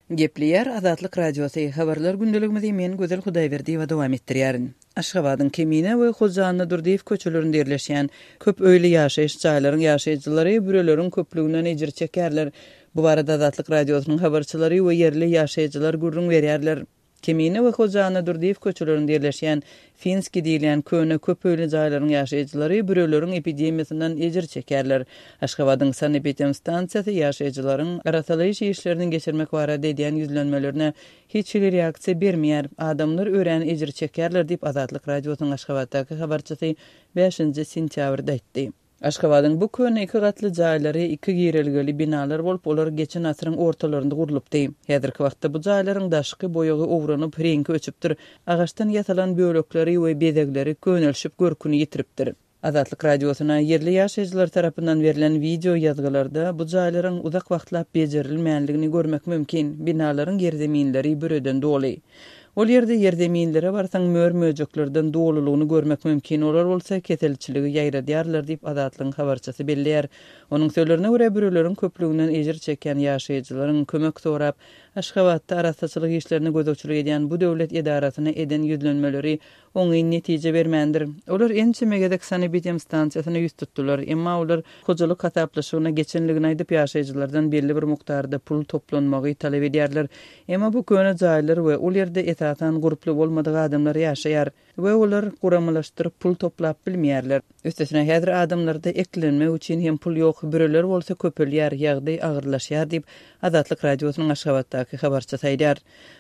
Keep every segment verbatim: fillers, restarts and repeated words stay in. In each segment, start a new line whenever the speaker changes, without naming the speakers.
Gepleýär Azatlyk Radiosy, Habarlar gündeligimizi men Gözel Hudaýberdiýewa dowam etdirýärin. Aşgabadyň Kemine we Hoja Annadurdyýew köçelerinde ýerleşýän köp öýli ýaşaýyş jaýlaryň ýaşaýjylary büreleriň köplüginden ejir çekýärler. Bu barada Azatlyk Radiosynyň habarçylary we ýerli ýaşaýjylar gürrüň berýärler. Kemine we Hoja Annadurdyýew köçelerinde ýerleşýän Finskiý diýilýän köne köp öýli jaýlaryň ýaşaýjylary büreleriň epidemiýasyndan ejir çekýärler. Aşgabadyň sanepidemstansiýasy ýaşaýjylaryň arassalaýyş işlerini geçirmek barada edýän ýüzlenmelerine hiç hili reaksiýa bermeýär. Adamlar örän ejir çekýärler diýip, Azatlyk Radiosynyň Aşgabatdaky habarçysy bäşinji sentýabrda aýtdy. Aşgabadyň bu köne iki gatly jaýlary iki girelgeli binalar bolup, olar geçen asyryň ortalarynda gurlupdy. Häzirki wagtda bu jaýlaryň daşky boýagy owranyp, reňki öçüpdir, agaçdan ýasalan bölekleri we bezegleri könelişip görküni ýitiripdir. Azatlyk Radiosyna ýerli ýaşaýjylar tarapyndan berlen wideo ýazgylarda bu jaýlaryň uzak wagtlap bejerilmänligini görmek mümkin, binalaryň ýerzeminleri büreden doly. Ol ýerde ýerzeminlere barsaň mör-möjeklerden dolulygyny görmek mümkin, olar bolsa keselçiligi ýaýradýarlar diýip, Azatlygyň habarçysy belleýär. Onuň sözlerine görä, büreleriň köplüginden ejir çekýän ýaşaýjylaryň kömek sorap, Aşgabatda arassaçylyk işlerine gözegçilik edýän bu döwlet edarasyna eden ýüzlenmeleri oňyn netije bermändir. Olar ençeme gezek sanepidemstansiýasyna ýüz tutdular, emma olar hojalyk hasaplaşygyna geçenligini aýdyp, ýaşaýjylardan belli bir mukdarda pul toplanmagy talap edýärler. Emma bu köne jaýlar we ol ýerde esasan gurply bolmadyk adamlar ýaşaýar we olar guramalaşdyryp pul toplap bilmeýärler. Üstesine häzir adamlarda eklenmek üçin hem pul ýok, büreler bolsa köpelýär, ýagdaý agyrlaşýar diýip, Azatlyk Radiosynyň Aşgabatdaky habarçysy aýdýar.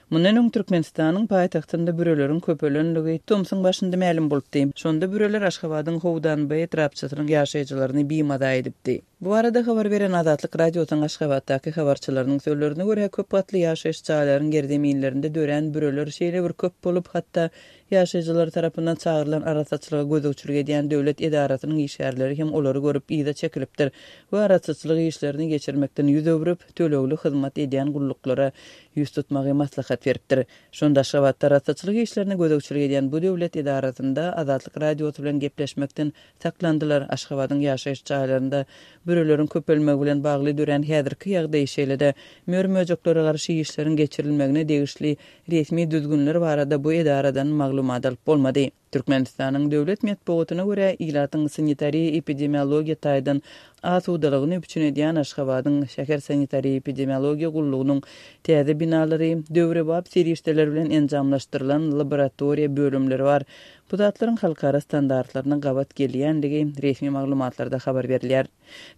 Mundan öň Türkmenistanyň paýtagtynda büreleriň köpelenligi tomsuň başynda mälim bolupdy. Şonda büreler Aşgabadyň Howdanbaý etrapçasynyň ýaşaýjylaryny bimaza edipdi. Bu barada habar beren Azatlyk Radiosynyň Aşgabatdaky habarçylarynyň sözlerine görä, köp gatly ýaşaýyş jaýlaryň ýerzeminlerinde dörän büreler şeýle bir köp bolup, hatda ýaşaýjylar tarapyndan çagyrylan arassaçylyga gözegçilik edýän döwlet edarasynyň işgärleri hem olary görüp yza çekilipdir we arassaçylyk işlerini geçirmekden ýüz öwrüp, tölegli hyzmat edýän gulluklara ýüz tutmagy maslahat beripdir. Şonda Aşgabatda arassaçylyk işlerine gözegçilik edýän bu döwlet edarasynda Azatlyk Radiosy bilen gepleşmekden saklandylar. Aşgabadyň ýaşaýyş jaýlarynda büreleriň köpelmegi bilen bagly dörän häzirki ýagdaý, şeýle-de mör-möjeklere garşy işleriň geçirilmegine degişli resmi düzgünler barada bu edaradan maglumat alyp bolmady. Türkmenistanyň döwlet metbugatyna görä, ilatyň sanitariýa-epidemiologiýa taýdan asudalygyny üpjün edýän Aşgabadyň şäher sanitariýa-epidemiologiýa gullugynyň täze binalary, döwrebap serişdeler bilen enjamlaşdyrylan laboratoriýa bölümleri bar. Bu zatlaryň halkara standartlaryna gabat gelýändigi resmi maglumatlarda habar berilýär.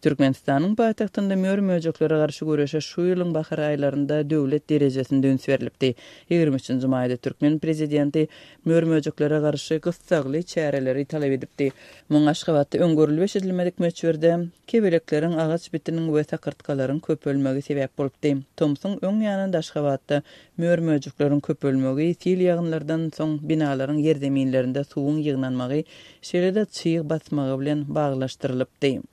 Türkmenistanyň paýtagtynda mör-möjeklere garşy göreşe şu ýylyň bahar aýlarynda döwlet derejesinde üns berlipdi. Ýigrimi üçünji maýda türkmen prezidenti mör-möjeklere garşy gyssagly çäreleri talap edipdi. Muňa Aşgabatda öň görülip-eşidilmedik möçberde kebelekleriň, agaç bitiniň we sakyrtgalaryň köpelmegi sebäp bolupdy. Tomsuň öň ýanynda Aşgabatda mör-möjekleriň köpelmegi, sil ýagynlardan soň binalaryň ýerzeminlerinde suwuň ýygnanmagy, şeýle-de çyg basmagy bilen baglaşdyrylypdy.